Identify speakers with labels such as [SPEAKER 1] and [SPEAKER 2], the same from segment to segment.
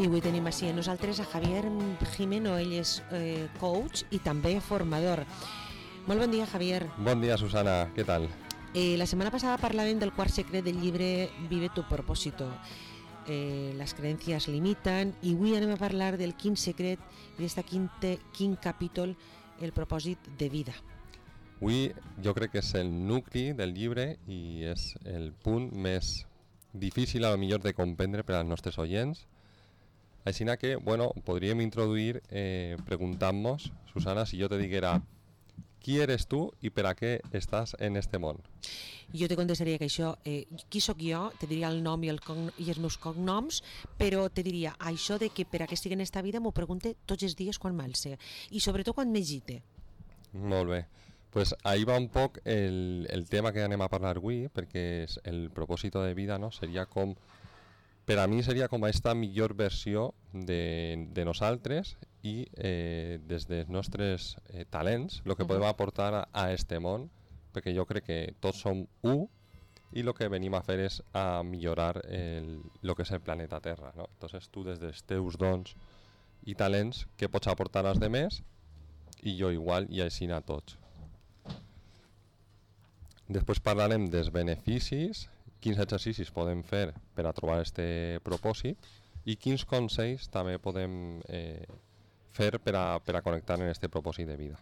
[SPEAKER 1] I avui tenim així a nosaltres a Javier Jimeno, ell és coach i també formador. Molt bon dia, Javier.
[SPEAKER 2] Bon dia, Susana, què tal?
[SPEAKER 1] La setmana passada parlàvem del quart secret del llibre Vive tu propósito. Les creences limiten, i avui anem a parlar del quin secret i d'aquest quin capítol, el propòsit de vida.
[SPEAKER 2] Avui jo crec que és el nucli del llibre i és el punt més difícil a lo millor de comprendre per als nostres oients. Així que, bueno, podríem introduir preguntant-nos, Susana, si jo te diguera qui eres tu i per a què estàs en este món?
[SPEAKER 1] Jo te contestaria que això, qui sóc jo, te diria el nom i els meus cognoms, però te diria això de que per a què estic en esta vida m'ho pregunte tots els dies quan m'alce i sobretot quan m'agite.
[SPEAKER 2] Molt bé. Pues ahí va un poc el tema que anem a parlar avui, perquè el propòsit de vida, no, seria com, per a mi seria com aquesta millor versió de nosaltres i des dels nostres talents, el que podem aportar a este món, perquè jo crec que tots som u i el que venim a fer és a millorar el que és el planeta Terra, no? Entonces tu des dels teus dons i talents que pots aportar als demés i jo igual i així a tots. Després parlarem dels beneficis, quins exercicis podem fer per a trobar este propòsit i quins consells també podem fer per a connectar en este propòsit de vida.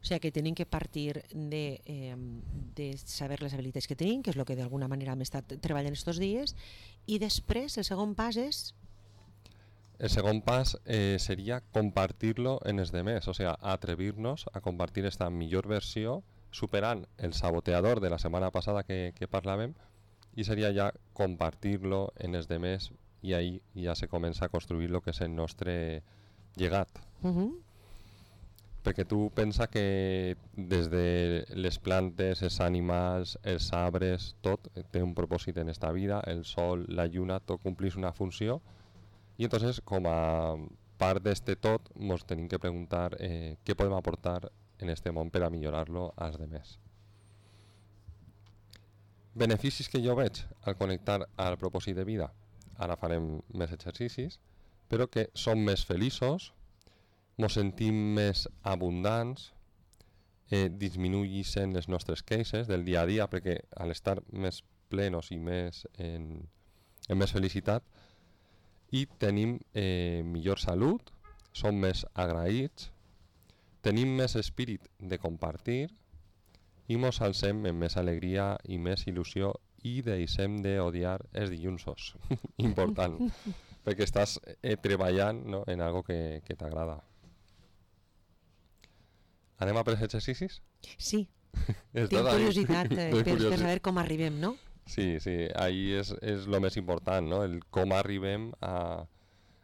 [SPEAKER 1] O sigui que tenim que partir de saber les habilitats que tenim, que és el que d'alguna manera hem estat treballant estos dies, i després el segon pas és...
[SPEAKER 2] El segon pas seria compartir-lo en els demés, o sigui, atrevir-nos a compartir esta millor versió superant el saboteador de la setmana passada que parlàvem, i seria ja compartir-lo en els demés i ahí ja se comença a construir el que és el nostre llegat. Perquè tu pensa que des de les plantes, els animals, els arbres, tot té un propòsit en esta vida, el sol, la lluna, tot complís una funció, i entonces com a part d'este tot ens tenim que preguntar què podem aportar en este món per a millorar-lo als demés. Beneficis que jo veig al connectar al propòsit de vida, ara farem més exercicis, però que som més feliços, ens sentim més abundants, disminueixen les nostres queixes del dia a dia, perquè al estar més plenos i més en més felicitat, i tenim millor salut, som més agraïts, tenim més espírit de compartir i ens alcem amb més alegria i més il·lusió i deixem d'odiar els dilluns. Important, perquè estàs treballant, no, en algo que t'agrada. Anem a per els exercicis?
[SPEAKER 1] Sí, tinc curiositat per saber com arribem, no?
[SPEAKER 2] Sí, ahí és el més important, no? El com arribem a...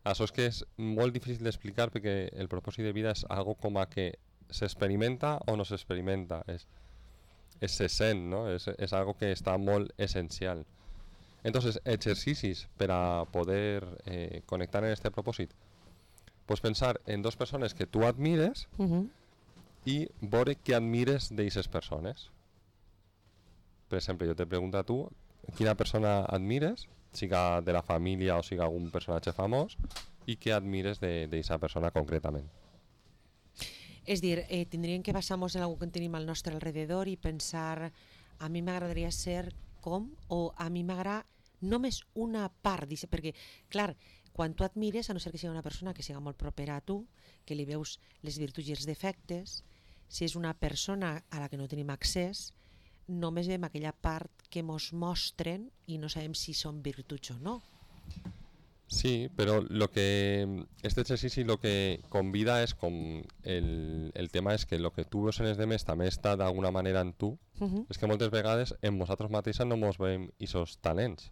[SPEAKER 2] Això és que és molt difícil d'explicar perquè el propòsit de vida és algo com a que s'experimenta o no s'experimenta, se sent, no? És algo que està molt essencial. Entonces, exercicis per a poder connectar en este propòsit. Pues pensar en dos persones que tu admires i veure què admires d'aquestes persones. Per exemple, jo te pregunto a tu quina persona admires, siga de la família o siga algun personatge famós, i què admires d'aquesta persona concretament.
[SPEAKER 1] És dir, tindríem que basar-nos en algú que tenim al nostre alrededor i pensar, a mi m'agradaria ser com, o a mi m'agrada només una part, perquè, clar, quan tu admires, a no ser que sigui una persona que sigui molt propera a tu, que li veus les virtuts i els defectes, si és una persona a la que no tenim accés, només veiem aquella part que mos mostren i no sabem si són virtuts o no.
[SPEAKER 2] Sí, però este exercici lo que convida és com el tema és que el que tu veus en els demés també està d'alguna manera en tu. És que moltes vegades en nosaltres mateixos no ens veiem aquests talents.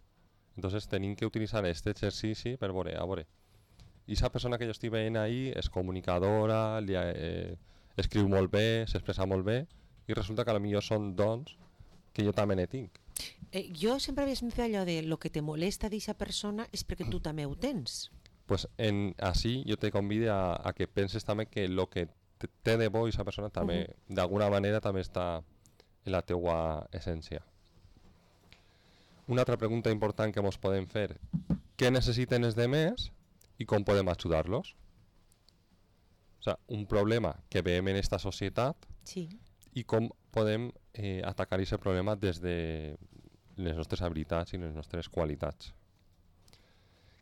[SPEAKER 2] Entonces tenim que utilitzar este exercici per veure, i esa persona que jo estic veient ahí és comunicadora, escriu molt bé, s'expressa molt bé, i resulta que potser són dons que jo també ne tinc.
[SPEAKER 1] Jo sempre havia sentit allò de lo que te molesta d'aquesta persona és perquè tu també ho tens.
[SPEAKER 2] Pues així jo te convido a que penses també que el que té de bo aquesta persona també d'alguna manera també està en la teua essència. Una altra pregunta important que ens podem fer: què necessiten els demés y cómo podemos ayudarlos. O sea, un problema que veiem en esta societat
[SPEAKER 1] Sí.
[SPEAKER 2] i com podem atacar aquest problema des de les nostres habilitats i les nostres qualitats.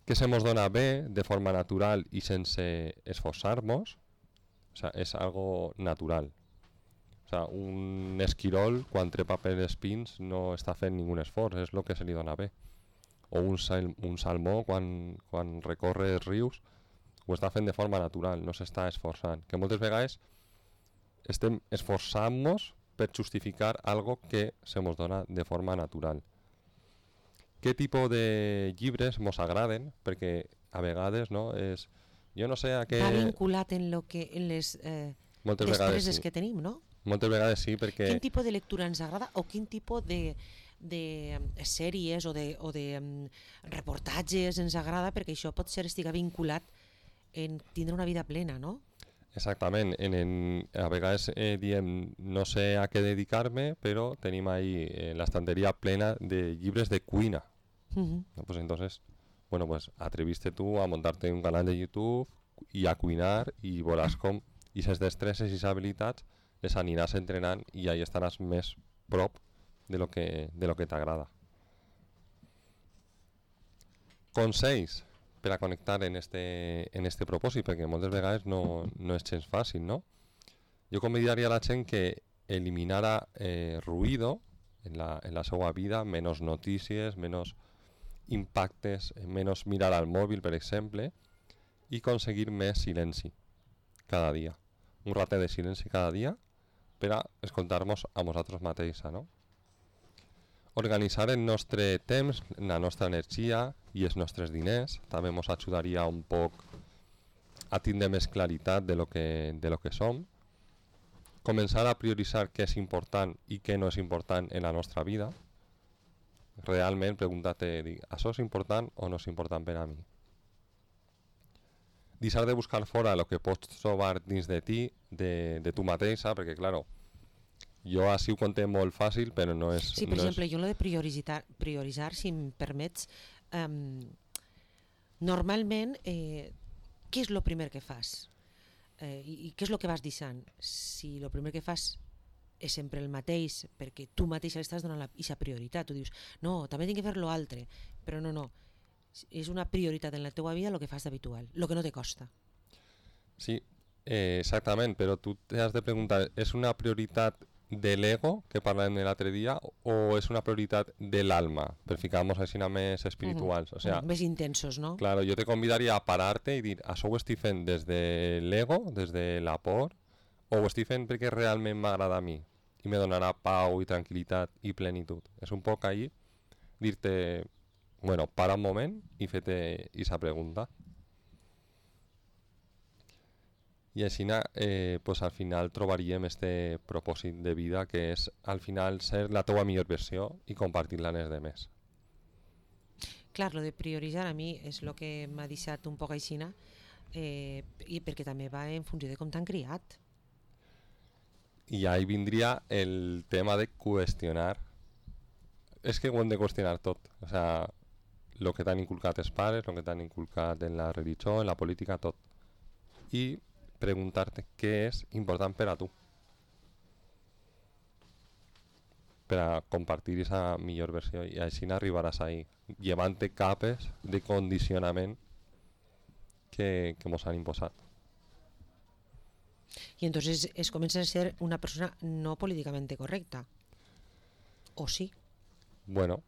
[SPEAKER 2] Que se mos dona bé de forma natural i sense esforçar-nos, o sea, és algo natural. O sea, un esquirol quan trepa per els pins no està fent ningun esforç, és el que se li dona bé. O un salmó quan recorre els rius ho està fent de forma natural, no s'està esforçant. Que moltes vegades estem esforçant-nos per justificar algo que se mos dona de forma natural. Què tipus de llibres mos agraden? Perquè a vegades, no, és... Jo no sé a què...
[SPEAKER 1] Va vinculat en les
[SPEAKER 2] moltes vegades
[SPEAKER 1] destreses
[SPEAKER 2] sí.
[SPEAKER 1] que tenim, no?
[SPEAKER 2] Moltes vegades sí, perquè...
[SPEAKER 1] Quin tipus de lectura ens agrada o quin tipus de sèries o de reportatges ens agrada, perquè això pot ser estiga vinculat en tindre una vida plena, no?
[SPEAKER 2] Exactament. A vegades diem no sé a què dedicar-me, però tenim ahí l'estanteria plena de llibres de cuina. ¿No? Pues entonces, bueno, pues atreviste tú a montarte un canal de YouTube i a cuinar i veuràs com aquestes destreses i habilitats les aniràs entrenant i ahí estaràs més prop de lo que t'agrada. Consells per a connectar en este propòsit, perquè moltes vegades no és gens fàcil, no? Jo convidaria a la gent que eliminara ruïdo en la seva vida, menys notícies, menys impactes, menys mirar al mòbil, per exemple, i aconseguir més silenci cada dia. Un ratet de silenci cada dia per a escoltar-nos a nosaltres mateixos, no? Organitzar el nostre temps, la nostra energia i els nostres diners també ens ajudaria un poc a tindre més claritat de lo que som. Començar a prioritzar què és important i què no és important en la nostra vida. Realment preguntar-te, això és important o no és important per a mi? Deixar de buscar fora el que pots trobar dins de ti, de tu mateixa, perquè, claro, jo així ho conté molt fàcil, però no és...
[SPEAKER 1] Sí, per exemple, jo lo de prioritzar, si em permets, normalment, què és el primer que fas? I què és el que vas deixant? Si el primer que fas és sempre el mateix, perquè tu mateix estàs donant aquesta prioritat, tu dius, no, també tinc que fer l'altre, però no, és una prioritat en la teva vida el que fas d'habitual, el que no te costa.
[SPEAKER 2] Sí, exactament, però tu t'has de preguntar, és una prioritat de l'ego que parlàvem l'altre dia o és una prioritat de l'alma per ficar-nos així més espirituals? O sea,
[SPEAKER 1] més intensos, no?
[SPEAKER 2] Claro, jo te convidaria a parar-te i dir, això ho estic fent des de l'ego, des de la por, o ho estic fent perquè realment m'agrada a mi i me donarà pau i tranquil·litat i plenitud. És un poc ahí dir-te, bueno, para un moment i fer-te aquesta pregunta. I així pues al final trobaríem este propòsit de vida que és al final ser la teua millor versió i compartir-la amb els demés.
[SPEAKER 1] Clar, lo de prioritzar a mi és el que m'ha deixat un poc aixina i perquè també va en funció de com t'han criat.
[SPEAKER 2] I ahí vindria el tema de qüestionar. És que ho hem de qüestionar tot. O sea, el que t'han inculcat els pares, el que t'han inculcat en la religió, en la política, tot. I preguntar-te què és important per a tu, per a compartir aquesta millor versió, i així arribaràs ahí, llevant-te capes de condicionament que mos han imposat.
[SPEAKER 1] I entonces es comença a ser una persona no políticament correcta, o sí?
[SPEAKER 2] Bueno,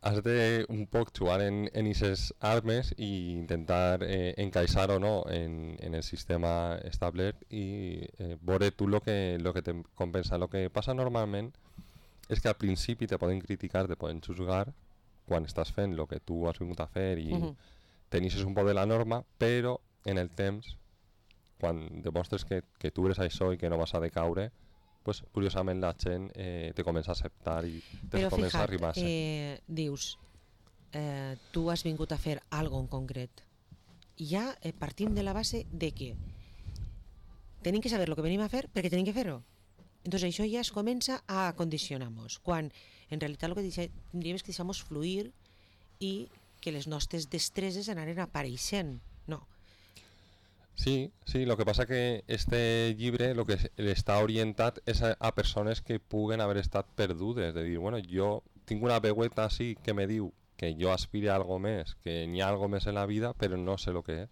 [SPEAKER 2] has de un poc jugar en aquestes armes i intentar encaixar o no en el sistema establert i veure tu lo que te compensa. Lo que passa normalment és que al principi te poden criticar, te poden juzgar quan estàs fent el que tu has vingut a fer i teneixes un poc de la norma, però en el temps, quan demostres que tu eres això i que no vas a decaure, pues, curiosament la gent te comença a acceptar i te comença a arribar a ser.
[SPEAKER 1] Però dius, tu has vingut a fer algo en concret. I ja partim de la base de que tenim que saber el que venim a fer perquè tenim que fer-ho. Entonces això ja es comença a condicionar-nos, quan en realitat el que tindríem és que deixar-nos fluir i que les nostres destreses anaren apareixent. No.
[SPEAKER 2] Sí, lo que passa que este llibre el que està orientat és a persones que puguen haver estat perdudes, de dir, bueno, jo tinc una veueta així que me diu que jo aspire a algo més, que n'hi ha algo més en la vida, però no sé lo que és.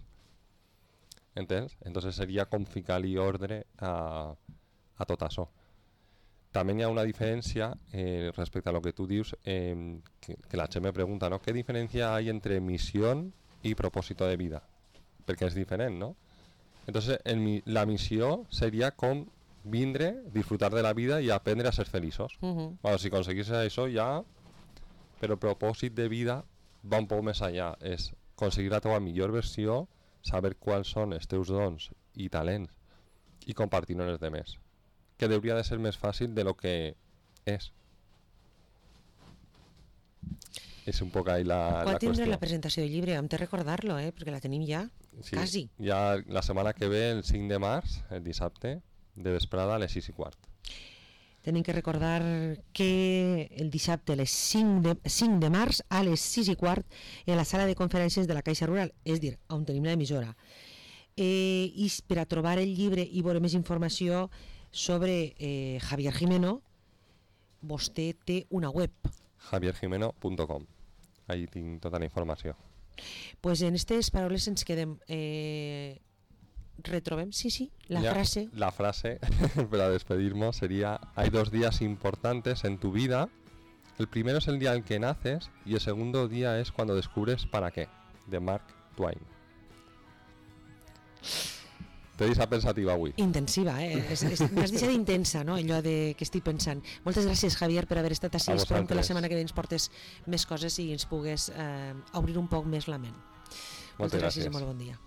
[SPEAKER 2] Entens? Entonces seria com ficar-li ordre a tot això. També hi ha una diferència respecte a lo que tu dius, que la gent me pregunta, ¿no? ¿Qué diferencia hay entre misión y propósito de vida? Perquè és diferent, ¿no? Entonces la misión sería com vindre, disfrutar de la vida y aprender a ser feliços. Bueno, si conseguís això ja, però el propòsit de vida va un poc més allà, és aconseguir la teva millor versió, saber quals són els teus dons i talents i compartir-ho amb els demés, que hauria de ser més fàcil de lo que és. És un poc ahí la
[SPEAKER 1] Quan
[SPEAKER 2] qüestió.
[SPEAKER 1] tindré la presentació del llibre? Hem de recordar-lo, perquè la tenim ja,
[SPEAKER 2] sí,
[SPEAKER 1] quasi.
[SPEAKER 2] Ja la setmana que ve, el 5 de març, el dissabte, de vesprada a les 6:15.
[SPEAKER 1] Tenim que recordar que el dissabte a les 5 de març a les 6:15 en la sala de conferències de la Caixa Rural, és dir, on tenim l'emissora. I per a trobar el llibre i veure més informació sobre Javier Gimeno, vostè té una web.
[SPEAKER 2] javiergimeno.com. Allí tinc tota la informació.
[SPEAKER 1] Pues en aquestes paraules ens quedem. Retrobem, sí, la frase.
[SPEAKER 2] La frase para despedirnos sería: hay 2 días importantes en tu vida. El primero es el día en que naces y el segundo día es cuando descubres para qué, de Mark Twain. Te deixa pensativa avui.
[SPEAKER 1] Intensiva, m'has deixat intensa, no? Allò de que estic pensant. Moltes gràcies, Javier, per haver estat així. Esperem que la setmana que ve ens portes més coses i ens pugues obrir un poc més la ment. Moltes gràcies i molt bon dia.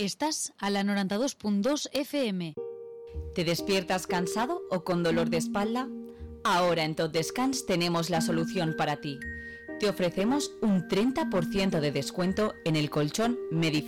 [SPEAKER 3] Estás a la 92.2 FM.
[SPEAKER 4] ¿Te despiertas cansado o con dolor de espalda? Ahora en Tot Descans tenemos la solución para ti. Te ofrecemos un 30% de descuento en el colchón Mediflex.